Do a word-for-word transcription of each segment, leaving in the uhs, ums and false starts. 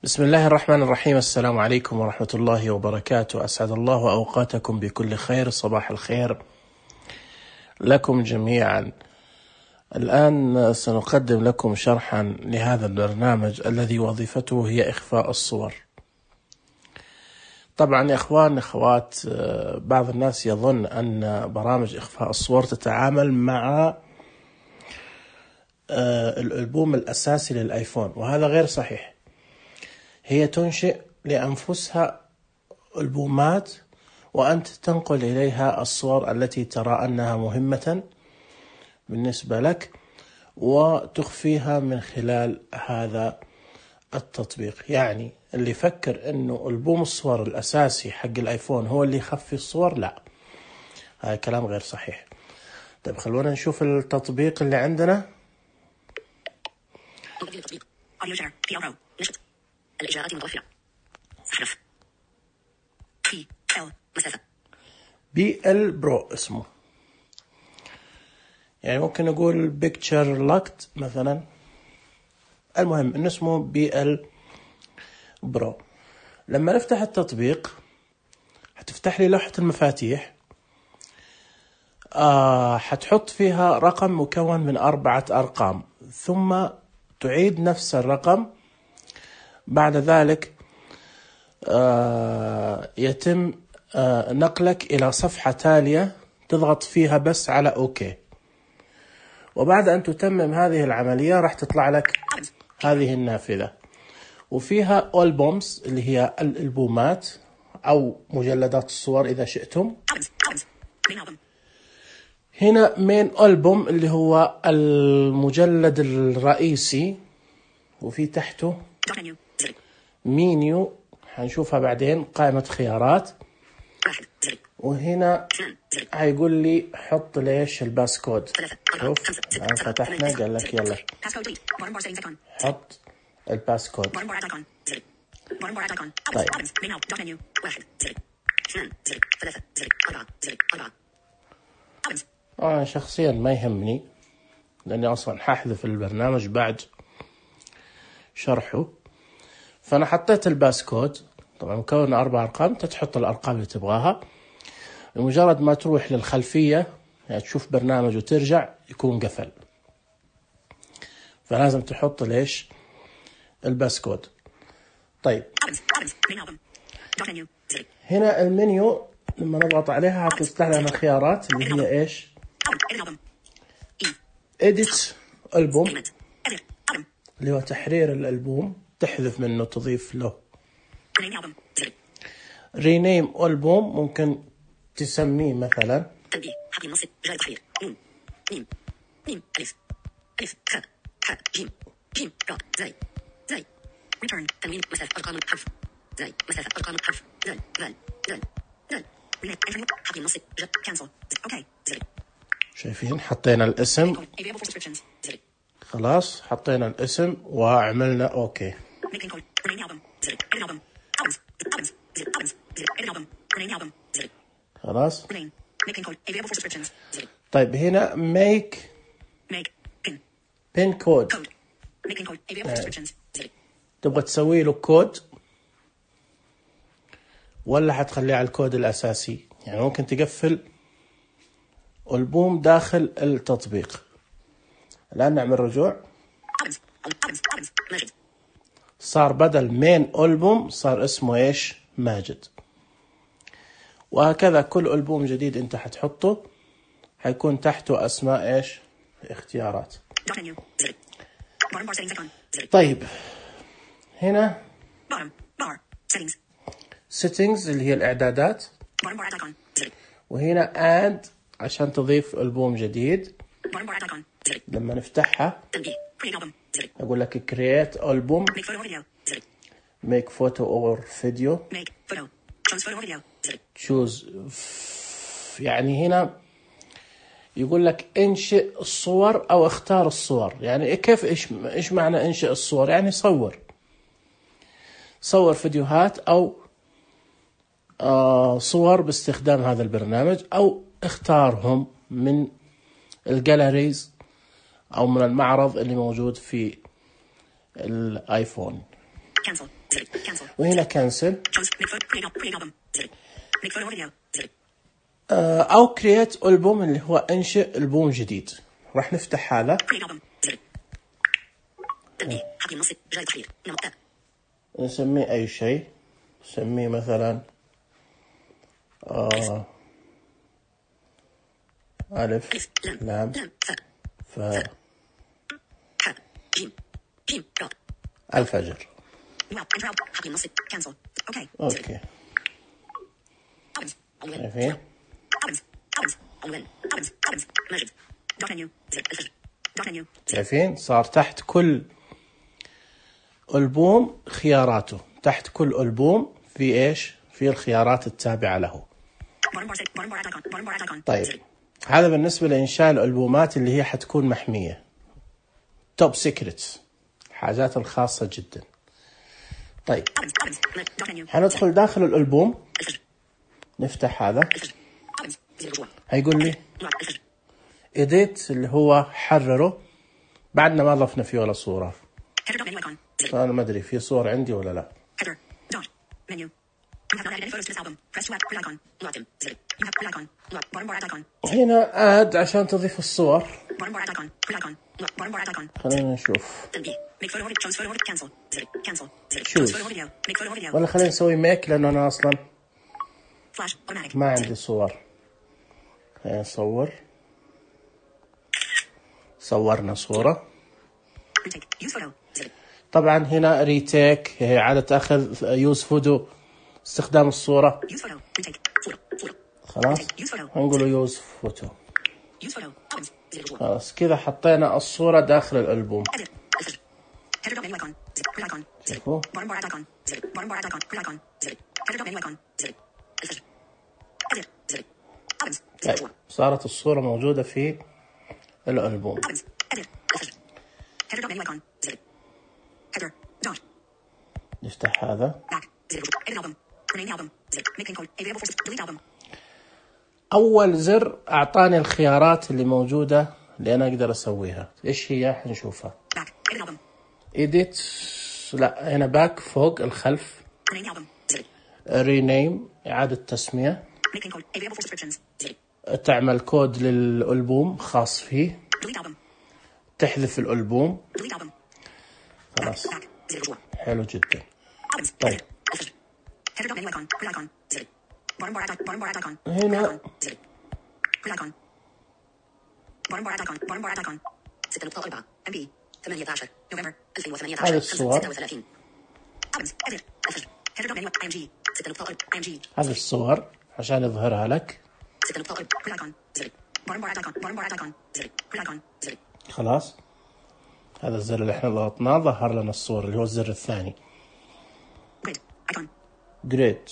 بسم الله الرحمن الرحيم. السلام عليكم ورحمة الله وبركاته. أسعد الله أوقاتكم بكل خير. صباح الخير لكم جميعا. الآن سنقدم لكم شرحا لهذا البرنامج الذي وظيفته هي إخفاء الصور. طبعا يا إخوان أخوات، بعض الناس يظن أن برامج إخفاء الصور تتعامل مع الألبوم الأساسي للآيفون، وهذا غير صحيح. هي تنشئ لأنفسها ألبومات وأنت تنقل إليها الصور التي ترى أنها مهمة بالنسبة لك وتخفيها من خلال هذا التطبيق. يعني اللي يفكر أنه ألبوم الصور الأساسي حق الآيفون هو اللي يخفي الصور، لا، هذا كلام غير صحيح. طيب خلونا نشوف التطبيق اللي عندنا. الإجراءات متوفرة. أحرف بي إل مسافة بي إل برو اسمه، يعني ممكن نقول بيكتشر لوكت مثلا. المهم إنه اسمه بي إل برو. لما نفتح التطبيق هتفتح لي لوحة المفاتيح، آه هتحط فيها رقم مكون من أربعة أرقام، ثم تعيد نفس الرقم. بعد ذلك آه يتم آه نقلك إلى صفحة تالية تضغط فيها بس على أوكي، وبعد أن تتمم هذه العملية راح تطلع لك هذه النافذة، وفيها ألبومز اللي هي الألبومات أو مجلدات الصور إذا شئتم. هنا مين ألبوم اللي هو المجلد الرئيسي، وفي تحته مينيو هنشوفها بعدين، قائمة خيارات، وهنا هيقول لي حط ليش الباسكود. شوف الآن فتحنا قال لك يلا حط الباسكود. طيب أنا شخصيا ما يهمني لأني أصلا ححذف البرنامج بعد شرحه، فأنا حطيت الباسكود. طبعا مكون أربع أرقام، تحط الأرقام اللي تبغاها. بمجرد ما تروح للخلفية يعني تشوف برنامج وترجع يكون قفل، فلازم تحط ليش الباسكود. طيب هنا المنيو لما نضغط عليها هتفتح لنا الخيارات اللي هي إيش؟ إديت ألبوم اللي هو تحرير الألبوم، تحذف منه تضيف له. رينيم ألبوم ممكن تسميه مثلا تنبيه حق النص جاء تحرير نون ميم ميم ألف ألف خاء حاء جيم جيم راء زاي زاي return تنوين مسافة أرقام الحرف زاي مسافة أرقام الحرف زال زال زال زال رينيم حق النص جاء cancel أوكي زاي. شايفين حطينا الاسم، خلاص حطينا الاسم وعملنا اوكي. خلاص. طيب هنا make pin code، تبغى تسوي له كود ولا حتخليه على الكود الأساسي؟ يعني ممكن تقفل ألبوم داخل التطبيق. الآن نعمل رجوع، صار بدل مين ألبوم صار اسمه إيش؟ ماجد. وهكذا كل ألبوم جديد أنت حتحطه حيكون تحته أسماء إيش؟ اختيارات. طيب هنا settings اللي هي الإعدادات، وهنا add عشان تضيف ألبوم جديد. لما نفتحها أقول لك create album make photo or video choose. يعني هنا يقول لك انشئ الصور أو اختار الصور. يعني كيف إيش إيش معنى انشئ الصور؟ يعني صور صور فيديوهات أو آه صور باستخدام هذا البرنامج، أو اختارهم من الجاليريز أو من المعرض اللي موجود في الآيفون. زر. Cancel. وهنا كنسل Choose. Make photo. Create al- create album. زر. Make photo or video. زر. أو create ألبوم اللي هو إنشئ ألبوم جديد. راح نفتح هذا. Create album. زر. تنبيه. حقل النص. رجال التحرير. نمط. نسميه أي شيء. نسميه مثلا آه ألف ألف. لام. لام لام. فاء. فاء حاء. جيم. جيم. راء. الفجر. Wow. Enter album. حقل النص. Cancel. Okay. أوكي. Albums. عنوان. شايفين؟ Albums. Albums. عنوان. Albums. Albums. ماجد. Dot menu. زر. الفجر. Dot menu. شايفين؟ صار تحت كل ألبوم خياراته. تحت كل ألبوم في إيش؟ في الخيارات التابعة له. Bottom bar set. Bottom bar add icon. Bottom bar add icon. طيب زر. هذا بالنسبة لإنشاء الألبومات اللي هي حتكون محمية. توب سيكريتس. الحاجات الخاصة جدا. طيب Albums. Albums. Dot menu. حندخل داخل الألبوم. الفجر. نفتح هذا. الفجر. Albums. زر الرجوع. هيقول لي نوع. الفجر. إيديت اللي هو حرره. بعدنا ما ضفنا فيه ولا صورة. Header dot menu icon. زر. أنا ما أدري في صور عندي ولا لا. Header. Dot. Menu. You have not added any photos to this album. Press to add. Grid icon. Locked. زر. You have grid icon. Lock. Bottom bar add icon. هنا آد عشان تضيف الصور. Bottom bar add icon. Grid icon. Lock. Bottom bar add icon. خلينا نشوف. تنبيه. Make photo or video. Choose photo or cancel. زر. Cancel. زر. Choose. Choose photo or video. Make photo or video. ولا خلينا نسوي ميك لأنه أنا أصلا Flash. Automatic. ما زر. عندي صور. خلينا نصور. صورنا صورة. Retake. Use photo. زر. طبعا هنا ريتيك هي عادة أخذ يوز فودو استخدام الصورة. Use photo. Retake. صورة. صورة. خلاص Use photo. هنقوله يوز فوتو. Use photo. Albums. زر الرجوع. خلاص كذا حطينا الصورة داخل الألبوم. Edit. الفجر. Header dot menu icon. زر. Grid icon. زر. شوفوا. Bottom bar add icon. زر. Bottom bar add icon. Grid icon. زر. Header dot menu icon. زر. الفجر. Edit. زر. Albums. زر طيب الرجوع. صارت الصورة موجودة في الألبوم. Albums. Edit. الفجر. Header dot menu icon. زر. Header. Dot. نفتح هذا. Back. زر الرجوع. Edit album. Rename the album. زر. Make pin code. Available for delete album. أول زر أعطاني الخيارات اللي موجودة اللي أنا أقدر أسويها. إيش هي؟ حنشوفها. Back. Edit album. إيديت لا هنا باك فوق الخلف. Rename the album. زر. رينيم إعادة تسمية. Make pin code. Available for subscriptions. زر. تعمل كود للألبوم خاص فيه. Delete album. تحذف الألبوم. Delete album. خلاص Back. زر الرجوع. حلو جدا. Albums. طيب. Edit. الفجر. Header dot menu icon. Grid icon. زر. Bottom bar add icon. Bottom bar add icon. هنا. Grid icon. زر. Grid icon. Bottom bar add icon. Bottom bar add icon. ستة نقطة أربعة إم بي ثمانية عشر نوفمبر ألفين وثمانية عشر هذه الصور. ستة وثلاثين Albums. Edit. الفجر. Header dot menu I M G ستة نقطة أربعة I M G هذه الصور عشان يظهرها لك. ستة نقطة أربعة Grid icon. زر. Bottom bar add icon. Bottom bar add icon. زر. Grid icon. زر. خلاص هذا الزر اللي احنا ضغطناه ظهر لنا الصور اللي هو الزر الثاني. Grid icon. جريد.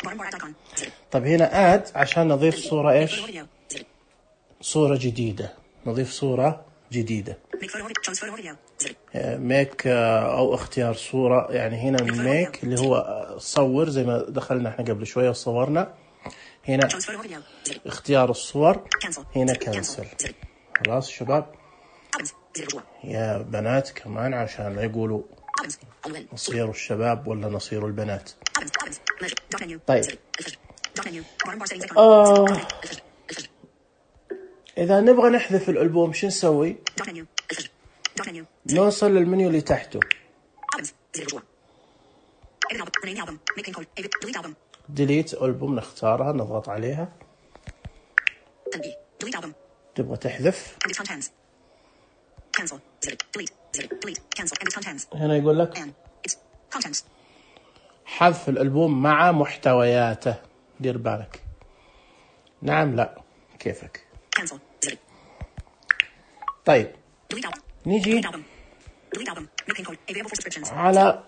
Bottom bar add icon. زر. طيب هنا اد عشان نضيف صورة ايش؟ Photo or video. زر. صورة جديدة. نضيف صورة جديدة. Make photo or video. Choose photo or video. زر. ميك او اختيار صورة يعني هنا الميك اللي هو صور زي ما دخلنا احنا قبل شوية وصورنا. هنا Choose photo or video. زر. اختيار الصور. Cancel. هنا زر. كنسل. Cancel. زر. خلاص شباب. Albums. زر الرجوع. يا بنات كمان عشان لا يقولوا Albums. عنوان. نصيروا الشباب ولا نصيروا البنات. Albums. Albums. Measure. Dot menu. طيب. زر. الفجر. Dot menu. Bottom bar settings icon. آه. الفجر. الفجر. إذا نبغى نحذف الألبوم شو نسوي؟ Dot menu. الفجر. Dot menu. نوصل للمنيو اللي تحته. Albums. زر الرجوع. Edit album. Rename the album. Make pin code. Edit. Delete album. ديليت ألبوم نختارها نضغط عليها. تنبيه. Delete album. تبغى تحذف. Edit contents. Cancel. زر. Delete. زر. Delete. Cancel. Edit contents. هنا يقول لك And. It's. Contents. حذف الألبوم مع محتوياته. دير بالك. نعم لا كيفك. Cancel. زر. طيب Delete album. نيجي Delete album. Delete album. Make pin code. Available for subscriptions. على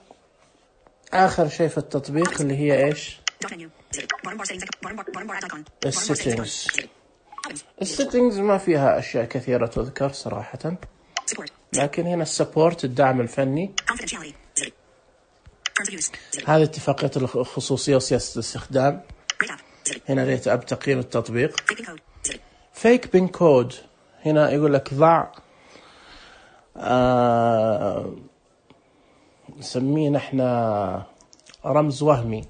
آخر شيء في التطبيق اللي هي إيش؟ Dot menu. زر. Bottom bar settings icon. Bottom bar. Bottom bar add icon. Bottom bar settings السيتنجز. icon. زر. Albums. السيتنجز ما فيها أشياء كثيرة تذكر صراحة. Support. لكن هنا السبورت الدعم الفني. Confidentiality. زر. Terms of use. زر. هذه اتفاقية الخصوصية وسياسة الاستخدام. Rate app. زر. هنا ريت أب تقييم التطبيق. Fake pin code. زر. فيك بين كود هنا يقول لك ضع آه نسميه نحن رمز وهمي.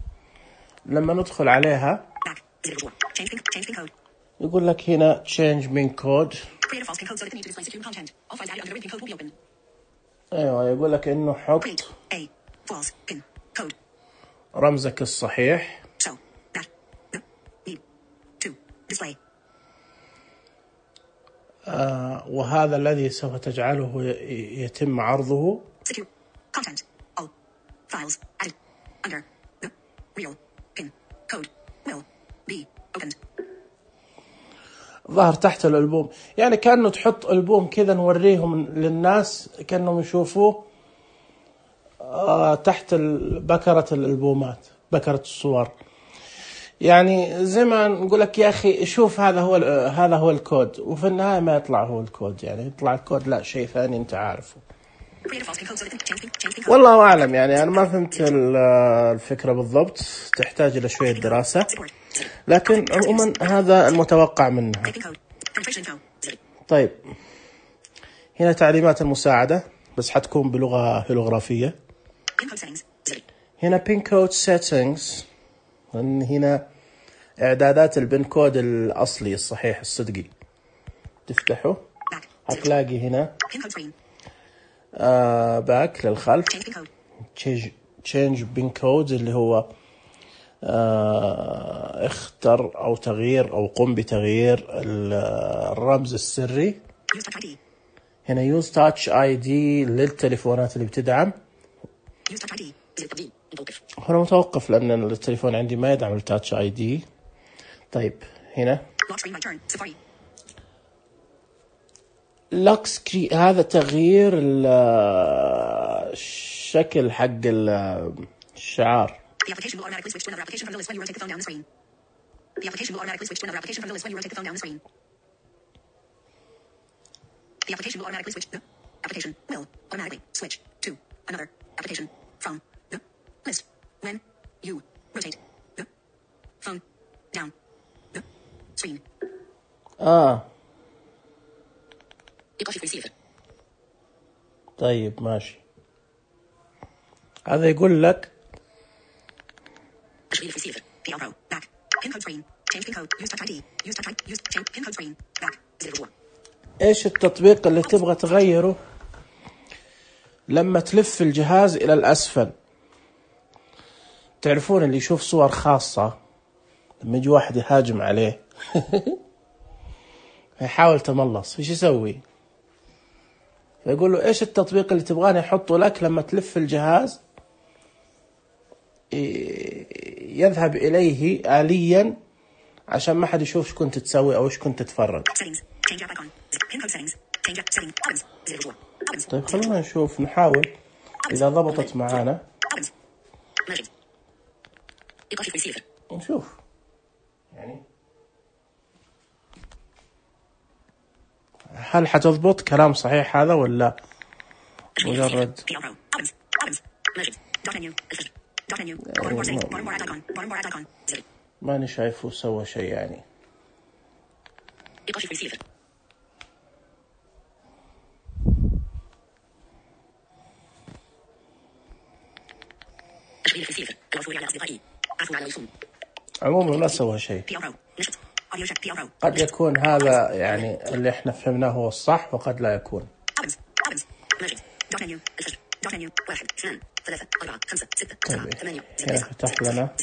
لما ندخل عليها يقول لك هنا change pin code. ايوه يقول لك انه حط رمزك الصحيح. آه وهذا الذي سوف تجعله يتم عرضه. ظهر تحت الألبوم، يعني كأنه تحط ألبوم كذا نوريهم للناس كأنهم يشوفوه آه تحت بكرة الألبومات، بكرة الصور. يعني زي ما نقول لك يا أخي شوف هذا هو هذا هو الكود، وفي النهاية ما يطلع هو الكود، يعني يطلع الكود لا شيء ثاني أنت عارفه. والله أعلم، يعني أنا ما فهمت الفكرة بالضبط، تحتاج إلى شوية دراسة، لكن عموما هذا المتوقع منها. طيب هنا تعليمات المساعدة بس حتكون بلغة هيلوغرافية. هنا pin code settings، هنا إعدادات البن كود الأصلي الصحيح الصدقي. تفتحه هتلاقي هنا آه باك للخلف، change pin code اللي هو آه اختر أو تغيير أو قم بتغيير الرمز السري. هنا use touch آي دي للتليفونات اللي بتدعم. هنا متوقف لأن التليفون عندي ما يدعم التاتش آي دي. طيب هنا lock screen، هذا تغيير الشكل حق الشعار. The application will automatically switch to another application from the list when you rotate the phone down the screen. The application will automatically switch to another application from the list when you rotate the phone down the screen. The application will automatically switch. The application will automatically switch to another application from the list when you rotate the phone down the screen. آه. طيب ماشي. هذا يقول لك ايش التطبيق اللي تبغى تغيره لما تلف الجهاز الى الاسفل. تعرفون اللي يشوف صور خاصة لما يجي واحد يهاجم عليه يحاول تملص، ايش يسوي؟ فيقول له ايش التطبيق اللي تبغاني احطه لك لما تلف الجهاز يذهب إليه آليا عشان ما حد يشوف ايش كنت تسوي أو ايش كنت تتفرج. طيب خلونا نشوف، نحاول إذا ضبطت معانا نشوف يعني هل حتضبط كلام صحيح هذا ولا مجرد ماني شايفه سوى شيء يعني. عموما ما سوى شيء. قد يكون هذا يعني اللي احنا فهمناه هو الصح وقد لا يكون. طيب هنا فتح لنا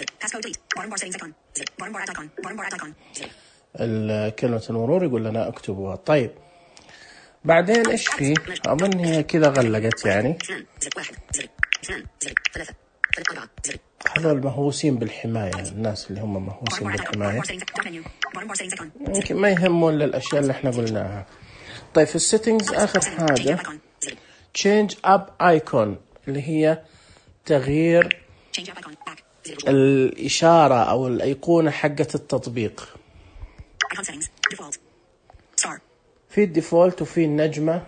كلمة المرور، يقول لنا اكتبوها. طيب بعدين ايش فيه؟ اظن هي كذا غلقت يعني. هذول مهووسين بالحماية، الناس اللي هم مهووسين بالحماية يمكن ما يهمون للأشياء اللي احنا قلناها. طيب في السيتنجز آخر حاجة change up icon اللي هي تغيير الإشارة أو الأيقونة حقة التطبيق. في الديفولت وفي النجمة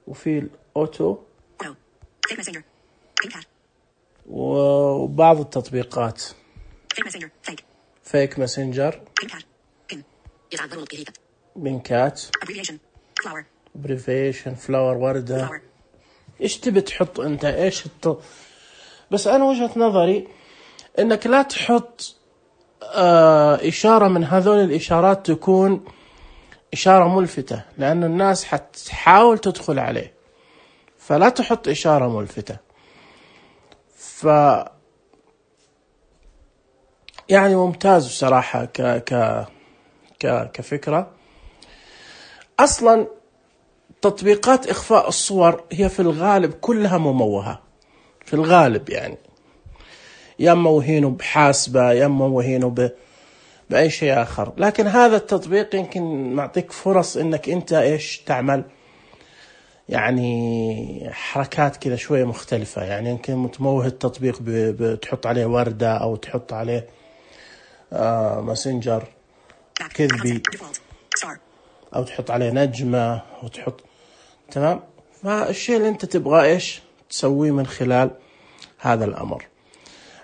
وفي الأوتو وبعض التطبيقات فيك ماسنجر، بينكات، بريفيشن، فلاور، وردة، إيش تبي تحط أنت؟ إيش الت... بس أنا وجهة نظري إنك لا تحط آه إشارة من هذول الإشارات تكون إشارة ملفتة، لأن الناس حتحاول تدخل عليه، فلا تحط إشارة ملفتة. ف يعني ممتاز بصراحة ك ك ك كفكرة. أصلا تطبيقات إخفاء الصور هي في الغالب كلها مموهة في الغالب، يعني يا موهينه بحاسبة يا موهينه ب... بأي شيء آخر، لكن هذا التطبيق يمكن معطيك فرص إنك أنت إيش تعمل، يعني حركات كذا شوية مختلفة. يعني يمكن تموه التطبيق ب... بتحط عليه وردة أو تحط عليه آه ماسنجر كذبي، أو تحط عليه نجمة وتحط تمام. فالشيء اللي أنت تبغى إيش تسويه من خلال هذا الأمر.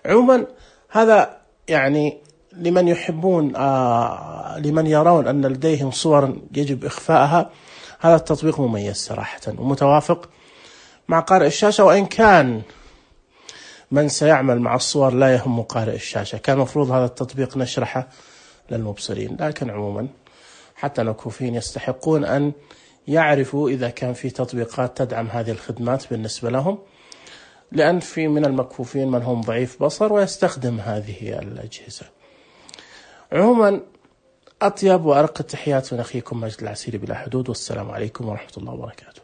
عموما هذا يعني لمن يحبون آه لمن يرون أن لديهم صور يجب إخفاءها، هذا التطبيق مميز صراحة ومتوافق مع قارئ الشاشة. وإن كان من سيعمل مع الصور لا يهم قارئ الشاشة، كان مفروض هذا التطبيق نشرحه للمبصرين، لكن عموما حتى المكفوفين يستحقون أن يعرفوا إذا كان في تطبيقات تدعم هذه الخدمات بالنسبة لهم، لأن في من المكفوفين من هم ضعيف بصر ويستخدم هذه الأجهزة. عموما أطيب وأرق التحيات من أخيكم مجد العسيري بلا حدود، والسلام عليكم ورحمة الله وبركاته.